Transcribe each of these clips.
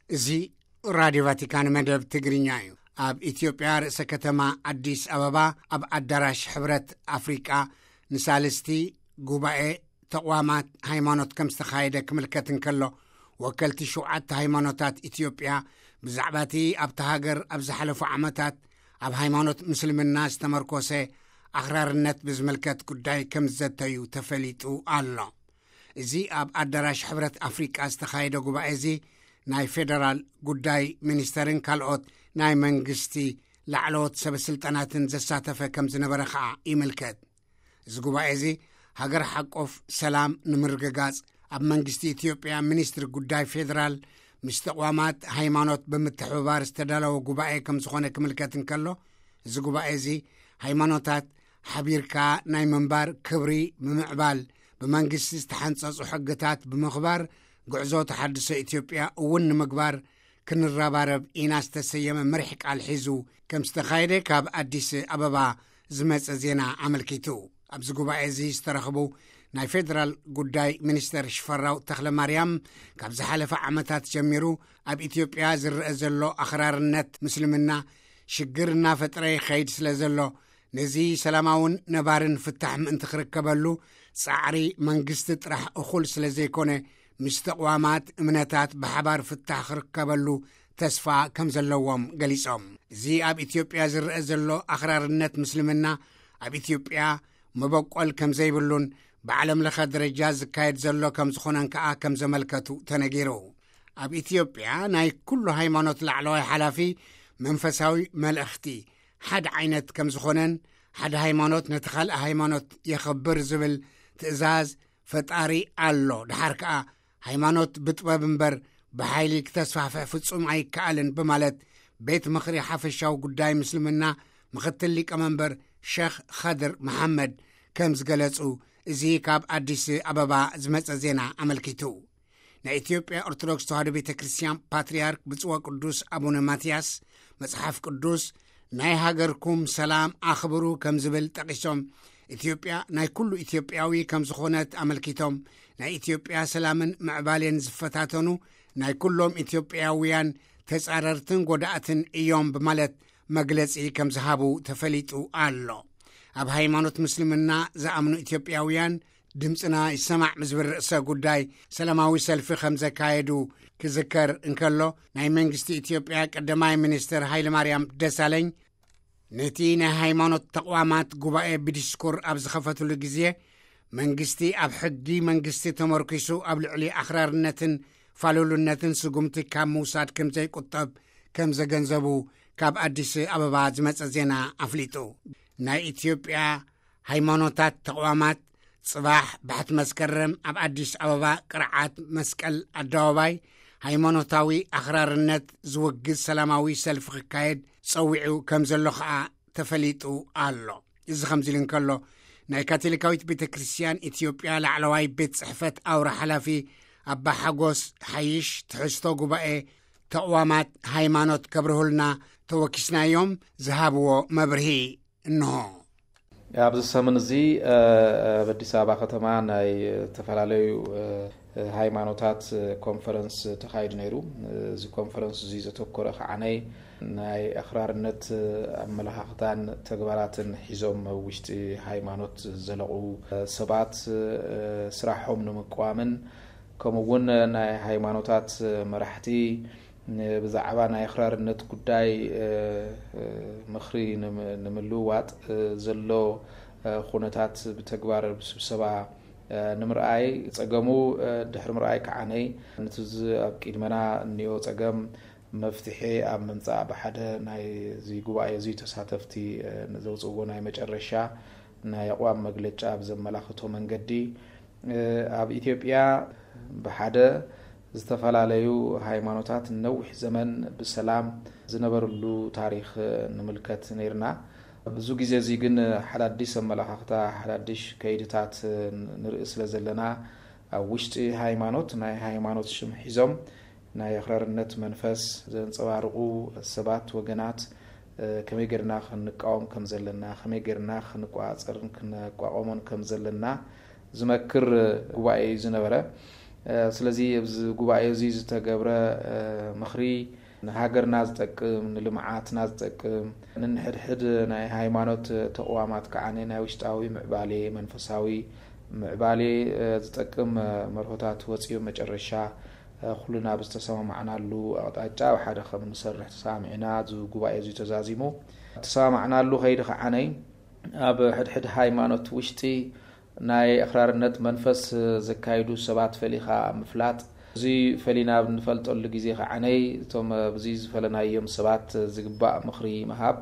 እዚ ራድዮ ቫቲካን መደብ ትግርኛ እዩ። ኣብ ኢትዮጵያ ርእሰ ከተማ ኣዲስ ኣበባ ኣብ ኣዳራሽ ሕብረት ኣፍሪቃ ንሳልስቲ ጉባኤ ተቕዋማት ሃይማኖት ከም ዝተኻየደ ክምልከት እንከሎ፣ ወከልቲ ሸውዓተ ሃይማኖታት ኢትዮጵያ ብዛዕባ እቲ ኣብታ ሃገር ኣብ ዝሓለፉ ዓመታት ኣብ ሃይማኖት ምስልምና ዝተመርኮሰ ኣኽራርነት ብዝምልከት ጉዳይ ከም ዝዘተዩ ተፈሊጡ ኣሎ። እዚ ኣብ ኣዳራሽ ሕብረት ኣፍሪቃ ዝተኻየደ ጉባኤ እዚ ናይ ፌደራል ጉዳይ ሚኒስተርን ካልኦት ናይ መንግስቲ ላዕለዎት ሰበ ስልጣናትን ዘሳተፈ ከም ዝነበረ ኸኣ ይምልከት። እዚ ጉባኤ እዚ ሃገር ሓቆፍ ሰላም ንምርግጋጽ ኣብ መንግስቲ ኢትዮጵያ ሚኒስትሪ ጉዳይ ፌደራል ምስ ተቋማት ሃይማኖት ብምትሕብባር ዝተዳለወ ጉባኤ ከም ዝኾነ ክምልከት እንከሎ፣ እዚ ጉባኤ እዚ ሃይማኖታት ሓቢርካ ናይ ምንባር ክብሪ ብምዕባል፣ ብመንግስቲ ዝተሓንጸጹ ሕግታት ብምኽባር፣ ጉዕዞ ተሓድሶ ኢትዮጵያ እውን ንምግባር ክንረባረብ ኢና ዝተሰየመ መሪሕ ቃል ሒዙ ከም ዝተኻየደ ካብ ኣዲስ ኣበባ ዝመጸ ዜና ኣመልኪቱ። ኣብዚ ጉባኤ እዚ ዝተረኽቡ ናይ ፌደራል ጉዳይ ሚኒስተር ሽፈራው ተኽለ ማርያም፣ ካብ ዝሓለፈ ዓመታት ጀሚሩ ኣብ ኢትዮጵያ ዝረአ ዘሎ ኣኽራርነት ምስልምና ሽግር እናፈጠረ ይኸይድ ስለ ዘሎ፣ ነዚ ሰላማውን ነባርን ፍታሕ ምእንቲ ክርከበሉ ጻዕሪ መንግስቲ ጥራሕ እኹል ስለ ዘይኮነ፣ ምስ ተቕዋማት እምነታት ብሓባር ፍታሕ ክርከበሉ ተስፋ ከም ዘለዎም ገሊጾም። እዚ ኣብ ኢትዮጵያ ዝረአ ዘሎ ኣኽራርነት ምስልምና ኣብ ኢትዮጵያ መበቆል ከም ዘይብሉን ብዓለም ለኸ ደረጃ ዝካየድ ዘሎ ከም ዝኾነን ከኣ ከም ዘመልከቱ ተነጊሩ። ኣብ ኢትዮጵያ ናይ ኩሉ ሃይማኖት ላዕለዋይ ሓላፊ መንፈሳዊ መልእኽቲ ሓደ ዓይነት ከም ዝኾነን፣ ሓደ ሃይማኖት ነቲ ካልእ ሃይማኖት የኸብር ዝብል ትእዛዝ ፈጣሪ ኣሎ፣ ደሓር ከኣ ሃይማኖት ብጥበብ እምበር ብሓይሊ ክተስፋሕፍሕ ፍጹም ኣይከኣልን ብማለት ቤት ምኽሪ ሓፈሻዊ ጉዳይ ምስልምና ምኽትል ሊቀመንበር ሸኽ ኸድር መሓመድ ከም ዝገለጹ እዚ ካብ ኣዲስ ኣበባ ዝመጸ ዜና ኣመልኪቱ። ናይ ኢትዮጵያ ኦርቶዶክስ ተዋህዶ ቤተ ክርስቲያን ፓትርያርክ ብፁዕ ወቅዱስ ኣቡነ ማትያስ መጽሓፍ ቅዱስ ናይ ሃገርኩም ሰላም ኣኽብሩ ከም ዝብል ጠቒሶም፣ ኢትዮጵያ ናይ ኩሉ ኢትዮጵያዊ ከም ዝኾነት ኣመልኪቶም፣ ናይ ኢትዮጵያ ሰላምን ምዕባሌን ዝፈታተኑ ናይ ኩሎም ኢትዮጵያውያን ተጻረርትን ጎዳእትን እዮም ብማለት መግለጺ ከም ዝሃቡ ተፈሊጡ ኣሎ። ኣብ ሃይማኖት ምስልምና ዝኣምኑ ኢትዮጵያውያን ድምፅና ይሰማዕ ብዝብል ርእሰ ጉዳይ ሰላማዊ ሰልፊ ከም ዘካየዱ ክዝከር እንከሎ፣ ናይ መንግስቲ ኢትዮጵያ ቀዳማይ ሚኒስትር ሃይለማርያም ደሳለኝ ነቲ ናይ ሃይማኖት ተቋማት ጉባኤ ብዲስኩር ኣብ ዝኸፈትሉ ግዜ፣ መንግስቲ ኣብ ሕጊ መንግስቲ ተመርኪሱ ኣብ ልዕሊ ኣኽራርነትን ፋሉልነትን ስጉምቲ ካብ ምውሳድ ከም ዘይቁጠብ ከም ዘገንዘቡ ካብ ኣዲስ ኣበባ ዝመጸ ዜና ኣፍሊጡ። ናይ ኢትዮጵያ ሃይማኖታት ተቋማት ጽባሕ ባሕቲ መስከረም ኣብ ኣዲስ ኣበባ ቅርዓት መስቀል ኣደባባይ ሃይማኖታዊ ኣኽራርነት ዝውግዝ ሰላማዊ ሰልፊ ክካየድ ጸዊዑ ከም ዘሎ ኸኣ ተፈሊጡ ኣሎ። እዚ ከምዚ ኢሉ እንከሎ፣ ናይ ካቶሊካዊት ቤተ ክርስቲያን ኢትዮጵያ ላዕለዋይ ቤት ጽሕፈት ኣውራ ሓላፊ ኣባ ሓጎስ ሓይሽ ትሕዝቶ ጉባኤ ተቕዋማት ሃይማኖት ከብርሁልና ተወኪስናዮም ዝሃብዎ መብርሂ እንሆ። ኣብዚ ሰሙን እዚ ኣብ ኣዲስ ኣበባ ከተማ ናይ ዝተፈላለዩ ሃይማኖታት ኮንፈረንስ ተኻይዱ ነይሩ። እዚ ኮንፈረንስ እዚ ዘተኮረ ከዓነይ ናይ ኣኽራርነት ኣመለኻኽታን ተግባራትን ሒዞም ኣብ ውሽጢ ሃይማኖት ዘለቑ ሰባት ስራሖም ንምቅዋምን፣ ከምኡ እውን ናይ ሃይማኖታት መራሕቲ ብዛዕባ ናይ ኣኽራርነት ጉዳይ ምኽሪ ንምልውዋጥ ዘሎ ኩነታት ብተግባር ብስብሰባ ንምርኣይ፣ ጸገሙ ድሕሪ ምርኣይ ከዓነይ፣ ነቲ ኣብ ቅድመና እኒኦ ጸገም መፍትሒ ኣብ ምምጻእ ብሓደ ናይዚ ጉባኤ እዚ ተሳተፍቲ ዘውፅእዎ ናይ መጨረሻ ናይ ኣቕዋም መግለጫ ብዘመላኽቶ መንገዲ፣ ኣብ ኢትዮጵያ ብሓደ ዝተፈላለዩ ሃይማኖታት ነዊሕ ዘመን ብሰላም ዝነበርሉ ታሪኽ ንምልከት ነይርና። ብዙ ግዜ እዚ ግን ሓዳዲስ ኣመለኻኽታ፣ ሓዳዲሽ ከይድታት ንርኢ ስለ ዘለና፣ ኣብ ውሽጢ ሃይማኖት ናይ ሃይማኖት ሽም ሒዞም ናይ ኣኽራርነት መንፈስ ዘንጸባርቑ ሰባት፣ ወገናት ከመይ ጌርና ክንቃወም ከም ዘለና፣ ከመይ ጌርና ክንቆጻጸርን ክንቋቋሞን ከም ዘለና ዝመክር ጉባኤ እዩ ዝነበረ። ስለዚ ኣብዚ ጉባኤ እዚ ዝተገብረ ምኽሪ ንሃገርና ዝጠቅም፣ ንልምዓትና ዝጠቅም፣ ንንሕድሕድ ናይ ሃይማኖት ተቕዋማት ከዓ ናይ ውሽጣዊ ምዕባሌ፣ መንፈሳዊ ምዕባሌ ዝጠቅም መርሆታት ወፂኡ፣ መጨረሻ ኩልና ብዝተሰማማዕናሉ ኣቕጣጫ ኣብ ሓደ ከም ንሰርሕ ተሰማሚዕና እዚ ጉባኤ እዚ ተዛዚሙ። ተሰማማዕናሉ ከይዲ ከዓነይ ኣብ ሕድሕድ ሃይማኖት ውሽጢ ናይ ኣኽራርነት መንፈስ ዘካይዱ ሰባት ፈሊኻ ምፍላጥ። እዚ ፈሊና ኣብ ንፈልጠሉ ግዜ ከዓነይ እቶም ብዚ ዝፈለናዮም ሰባት ዝግባእ ምኽሪ ምሃብ።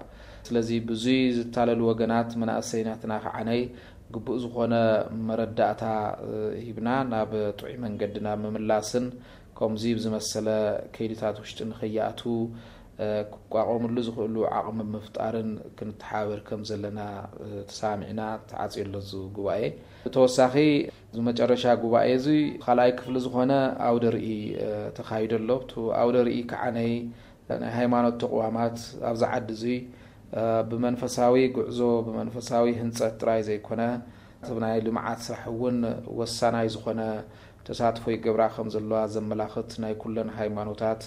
ስለዚ ብዙይ ዝታለሉ ወገናት መናእሰይናትና ከዓነይ ግቡእ ዝኾነ መረዳእታ ሂብና ናብ ጥዑይ መንገዲ ናብ ምምላስን ከምዚ ብዝመሰለ ከይድታት ውሽጢ ንኸይኣቱ ክቋቆምሉ ዝኽእሉ ዓቕሚ ምፍጣርን ክንተሓባበር ከም ዘለና ተሰማሚዕና ተዓፅዮ ኣሎ እዚ ጉባኤ። ብተወሳኺ እዚ መጨረሻ ጉባኤ እዚ ካልኣይ ክፍሊ ዝኾነ ኣውደ ርኢ ተኻይዶ ኣሎ። ኣብቲ ኣውደ ርኢ ከዓነይ ናይ ሃይማኖት ተቕዋማት ኣብዚ ዓዲ እዚ ብመንፈሳዊ ጉዕዞ ብመንፈሳዊ ህንፀት ጥራይ ዘይኮነ እቲ ናይ ልምዓት ስራሕ እውን ወሳናይ ዝኾነ ተሳትፎ ይገብራ ከም ዘለዋ ዘመላኽት ናይ ኩለን ሃይማኖታት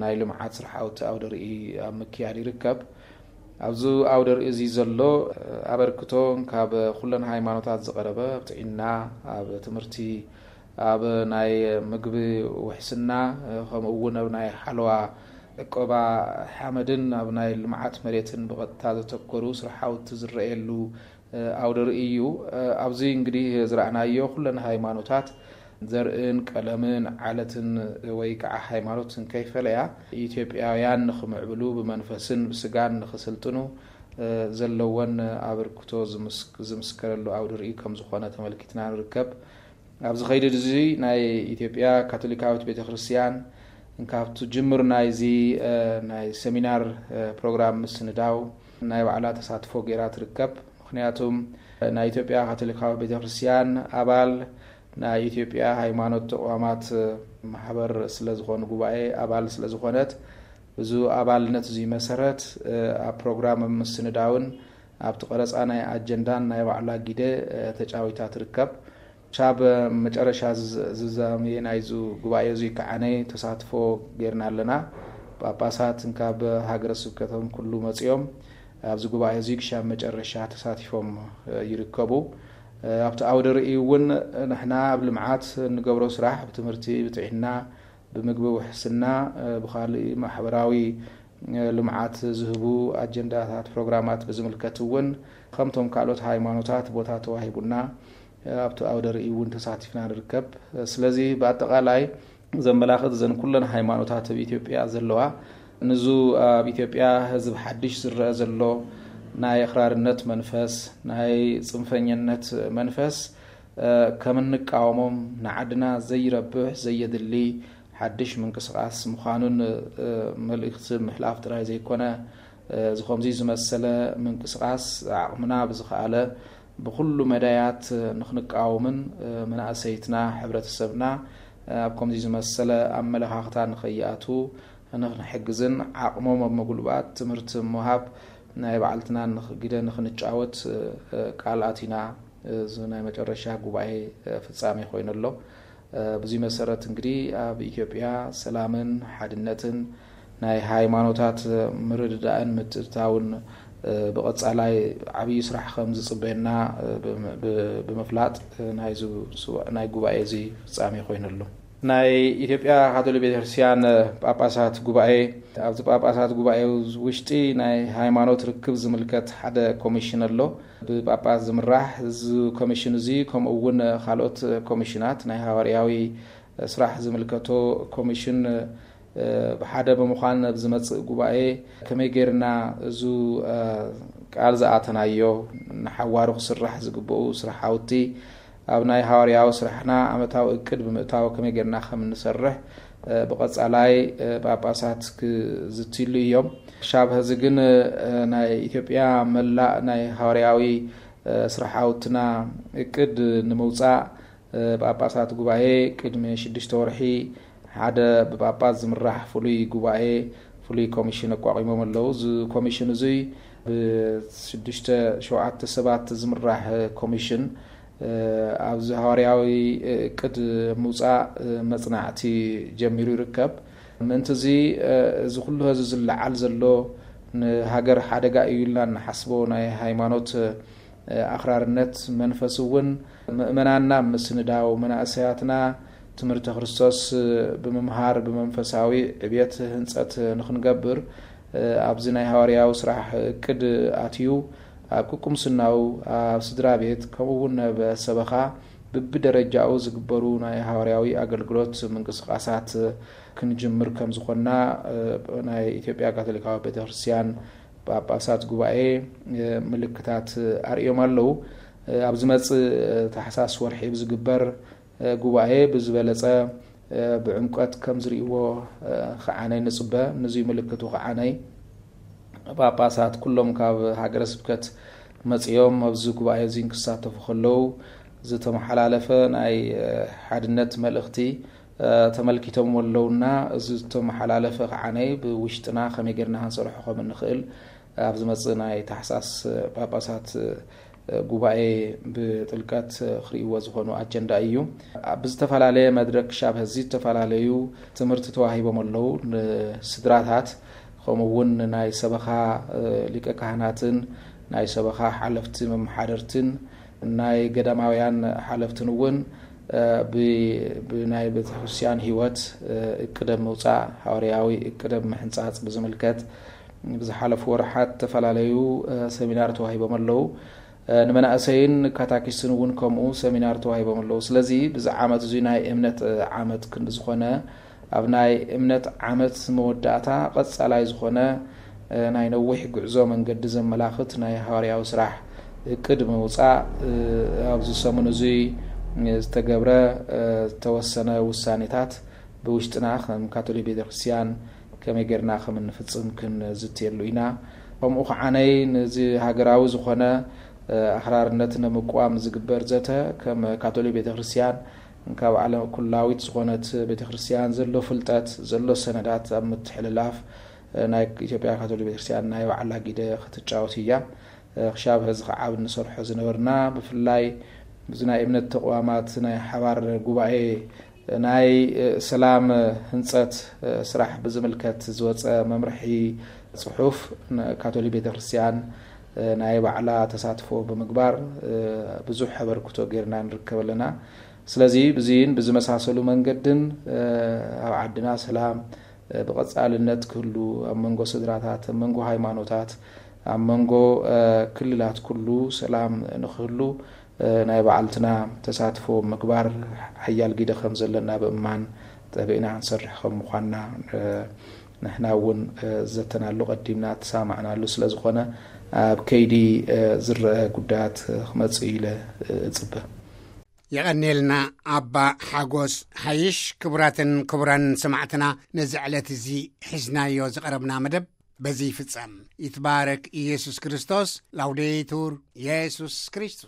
ናይ ልምዓት ስራሕቲ ኣውደ ርኢ ኣብ ምክያድ ይርከብ። ኣብዚ ኣውደ ርኢ እዚ ዘሎ ኣበርክቶ ካብ ኩለን ሃይማኖታት ዝቐረበ ኣብ ጥዕና፣ ኣብ ትምህርቲ፣ ኣብ ናይ ምግቢ ውሕስና፣ ከምኡ እውን ኣብ ናይ ሓለዋ ዕቆባ ሓመድን ኣብ ናይ ልምዓት መሬትን ብቐጥታ ዘተኮሩ ስራሕቲ ዝረኣየሉ ኣውደ ርኢ እዩ። ኣብዚ እንግዲህ ዝረኣናዮ ኩለን ሃይማኖታት ዘርእን ቀለምን ዓለትን ወይ ከዓ ሃይማኖትን ከይፈለያ ኢትዮጵያውያን ንኽምዕብሉ ብመንፈስን ብስጋን ንኽስልጥኑ ዘለወን ኣበርክቶ ዝምስከረሉ ኣውደ ርኢ ከም ዝኾነ ተመልኪትና ንርከብ። ኣብዚ ከይዲ እዚ ናይ ኢትዮጵያ ካቶሊካዊት ቤተክርስትያን ካብቲ ጅምር ናይዚ ናይ ሰሚናር ፕሮግራም ምስንዳው ናይ ባዕላ ተሳትፎ ገይራ ትርከብ። ምኽንያቱም ናይ ኢትዮጵያ ካቶሊካዊ ቤተክርስትያን ኣባል ናይ ኢትዮጵያ ሃይማኖት ተቋማት ማሕበር ስለዝኾኑ ጉባኤ ኣባል ስለዝኾነት ብዙ ኣባልነት እዚ መሰረት ኣብ ፕሮግራም ምስንዳውን ኣብቲ ቀረፃ ናይ ኣጀንዳን ናይ ባዕላ ጊደ ተጫዊታ ትርከብ። ሻብ መጨረሻ ዝዛመየ ናይዚ ጉባኤ እዚ ከዓነይ ተሳትፎ ጌርና ኣለና። ጳጳሳት እንካብ ሃገረ ስብከቶም ኩሉ መፅኦም ኣብዚ ጉባኤ እዚ ክሻብ መጨረሻ ተሳቲፎም ይርከቡ። ኣብቲ ኣውደ ርኢ እውን ንሕና ኣብ ልምዓት እንገብሮ ስራሕ ብትምህርቲ፣ ብጥዕና፣ ብምግቢ ውሕስና፣ ብካልእ ማሕበራዊ ልምዓት ዝህቡ ኣጀንዳታት ፕሮግራማት ብዝምልከት እውን ከምቶም ካልኦት ሃይማኖታት ቦታ ተዋሂቡና ኣብቲ ኣውደ ርኢ እውን ተሳቲፍና ንርከብ። ስለዚ ብኣጠቓላይ ዘመላኽት እዘን ኩለን ሃይማኖታት ኣብ ኢትዮጵያ ዘለዋ ንዙ ኣብ ኢትዮጵያ ህዝብ ሓድሽ ዝረአ ዘሎ ናይ ኣኽራርነት መንፈስ፣ ናይ ፅንፈኝነት መንፈስ ከም እንቃወሞም ንዓድና ዘይረብሕ ዘየድሊ ሓድሽ ምንቅስቃስ ምዃኑን መልእኽቲ ምሕላፍ ጥራይ ዘይኮነ እዚ ከምዚ ዝመሰለ ምንቅስቃስ ዓቕምና ብዝኸኣለ ብኩሉ መዳያት ንኽንቃወምን መናእሰይትና ሕብረተሰብና ኣብ ከምዚ ዝመሰለ ኣመለኻኽታ ንኸይኣቱ ንኽንሕግዝን ዓቕሞም ኣብ ምጉልባት ትምህርቲ ምሃብ ናይ ባዕልትና ግደ ንኽንጫወት ቃል ኣቲና እዚ ናይ መጨረሻ ጉባኤ ፍጻሜ ኮይኑ ኣሎ። ብዙ መሰረት እንግዲህ ኣብ ኢትዮጵያ ሰላምን ሓድነትን ናይ ሃይማኖታት ምርድዳእን ምትእትታውን ብቐጻላይ ዓብዪ ስራሕ ከም ዝጽበየና ብምፍላጥ ናይ ጉባኤ እዚ ፍጻሜ ኮይኑ ኣሎ። ናይ ኢትዮጵያ ካቶሊክ ቤተክርስትያን ጳጳሳት ጉባኤ፣ ኣብዚ ጳጳሳት ጉባኤ ውሽጢ ናይ ሃይማኖት ርክብ ዝምልከት ሓደ ኮሚሽን ኣሎ። ብጳጳስ ዝምራሕ እዚ ኮሚሽን እዚ ከምኡ እውን ካልኦት ኮሚሽናት ናይ ሃዋርያዊ ስራሕ ዝምልከቶ ኮሚሽን ብሓደ ብምዃን ኣብ ዝመፅእ ጉባኤ ከመይ ጌርና እዚ ቃል ዝኣተናዮ ንሓዋሩ ክስራሕ ዝግብኡ ስራሓውቲ ኣብ ናይ ሃዋርያዊ ስራሕና ዓመታዊ እቅድ ብምእታው ከመይ ጌርና ከም እንሰርሕ ብቐጻላይ ጳጳሳት ክዝትይሉ እዮም። ክሻብ ሕዚ ግን ናይ ኢትዮጵያ መላእ ናይ ሃዋርያዊ ስራሓውትና እቅድ ንምውፃእ ጳጳሳት ጉባኤ ቅድሚ ሽዱሽተ ወርሒ ሓደ ብጳጳስ ዝምራሕ ፍሉይ ጉባኤ ፍሉይ ኮሚሽን ኣቋቒሞም ኣለዉ። እዚ ኮሚሽን እዙይ ብሽዱሽተ ሸውዓተ ሰባት ዝምራሕ ኮሚሽን ኣብዚ ሃዋርያዊ እቅድ ምውፃእ መፅናዕቲ ጀሚሩ ይርከብ። ምእንቲ እዚ እዚ ኩሉ ህዝቢ ዝለዓል ዘሎ ንሃገር ሓደጋ እዩ ኢልና እንሓስቦ ናይ ሃይማኖት ኣኽራርነት መንፈስ እውን ምእመናንና ምስንዳው፣ መናእሰያትና ትምህርተ ክርስቶስ ብምምሃር ብመንፈሳዊ ዕብየት ህንፀት ንኽንገብር ኣብዚ ናይ ሃዋርያዊ ስራሕ እቅድ ኣትዩ ኣብ ቁምስናው፣ ኣብ ስድራ ቤት፣ ከምኡ እውን ኣብ ሰበኻ ብብደረጃኡ ዝግበሩ ናይ ሃዋርያዊ ኣገልግሎት ምንቅስቃሳት ክንጅምር ከም ዝኾንና ናይ ኢትዮጵያ ካቶሊካዊ ቤተክርስትያን ጳጳሳት ጉባኤ ምልክታት ኣርእዮም ኣለዉ። ኣብ ዝመጽእ ታሕሳስ ወርሒ ብዝግበር ጉባኤ ብዝበለጸ ብዕምቀት ከም ዝርእይዎ ከዓነይ ንጽበ። ንዙይ ምልክቱ ከዓነይ ጳጳሳት ኩሎም ካብ ሃገረ ስብከት መጺኦም ኣብዚ ጉባኤ እዚ ክሳተፉ ከለዉ ዝተመሓላለፈ ናይ ሓድነት መልእኽቲ ተመልኪቶም ኣለውና። እዚ ዝተመሓላለፈ ከዓነይ ብውሽጥና ከመይ ጌርና ክንሰርሖ ከም እንኽእል ኣብ ዝመጽእ ናይ ታሕሳስ ጳጳሳት ጉባኤ ብጥልቀት ክርእይዎ ዝኾኑ ኣጀንዳ እዩ። ብዝተፈላለየ መድረክ ክሻብ ሕዚ ዝተፈላለዩ ትምህርቲ ተዋሂቦም ኣለዉ። ንስድራታት ከምኡ እውን ናይ ሰበኻ ሊቀ ካህናትን ናይ ሰበኻ ሓለፍቲ መመሓደርትን ናይ ገዳማውያን ሓለፍትን እውን ብናይ ቤተክርስትያን ህይወት እቅደ ምውፃእ፣ ሃዋርያዊ እቅደ ምሕንፃፅ ብዝምልከት ብዝሓለፉ ወርሓት ዝተፈላለዩ ሰሚናር ተዋሂቦም ኣለዉ። ንመናእሰይን ካታኪስትን እውን ከምኡ ሰሚናር ተዋሂቦም ኣለዉ። ስለዚ ብዚ ዓመት እዚ ናይ እምነት ዓመት ክንዲ ዝኾነ ኣብ ናይ እምነት ዓመት መወዳእታ ቀጻላይ ዝኾነ ናይ ነዊሕ ጉዕዞ መንገዲ ዘመላኽት ናይ ሃዋርያዊ ስራሕ እቅድ ምውፃእ፣ ኣብዚ ሰሙን እዚ ዝተገብረ ዝተወሰነ ውሳኔታት ብውሽጥና ከም ካቶሊክ ቤተክርስትያን ከመይ ጌርና ከም እንፍጽም ክንዝትየሉ ኢና። ከምኡ ከዓነይ ነዚ ሃገራዊ ዝኾነ ኣኽራርነት ንምቅዋም ዝግበር ዘተ ከም ካቶሊክ ቤተክርስትያን ካብ ዓለም ኩላዊት ዝኾነት ቤተክርስትያን ዘሎ ፍልጠት፣ ዘሎ ሰነዳት ኣብ ምትሕልላፍ ናይ ኢትዮጵያ ካቶሊክ ቤተክርስትያን ናይ ባዕላ ግደ ክትጫወት እያ። ክሻብ ሕዚ ክዓብ እንሰርሖ ዝነበርና ብፍላይ እዚ ናይ እምነት ተቋማት ናይ ሓባር ጉባኤ ናይ ሰላም ህንፀት ስራሕ ብዝምልከት ዝወፀ መምርሒ ፅሑፍ ንካቶሊክ ቤተክርስትያን ናይ ባዕላ ተሳትፎ ብምግባር ብዙሕ ኣበርክቶ ጌርና ንርከብ ኣለና። ስለዚ ብዚን ብዝመሳሰሉ መንገድን ኣብ ዓድና ሰላም ብቐጻልነት ክህሉ፣ ኣብ መንጎ ስድራታት፣ ኣብ መንጎ ሃይማኖታት፣ ኣብ መንጎ ክልላት ኩሉ ሰላም ንክህሉ ናይ ባዕልትና ተሳትፎ ምግባር ሓያል ግደ ከም ዘለና ብምእማን ጠቢዕና ክንሰርሕ ከም ምዃንና ንሕና እውን ዘተናሉ ቀዲምና ተሰማዕናሉ ስለ ዝኾነ ኣብ ከይዲ ዝረአ ጉዳያት ክመጽእ ኢለ እጽበ። የቐኔልና ኣባ ሓጎስ ሓይሽ። ክቡራትን ክቡራን ሰማዕትና፣ ነዚ ዕለት እዚ ሒዝናዮ ዝቐረብና መደብ በዚ ይፍጸም። ይትባረክ ኢየሱስ ክርስቶስ። ላውዴቱር ኢየሱስ ክርስቶስ።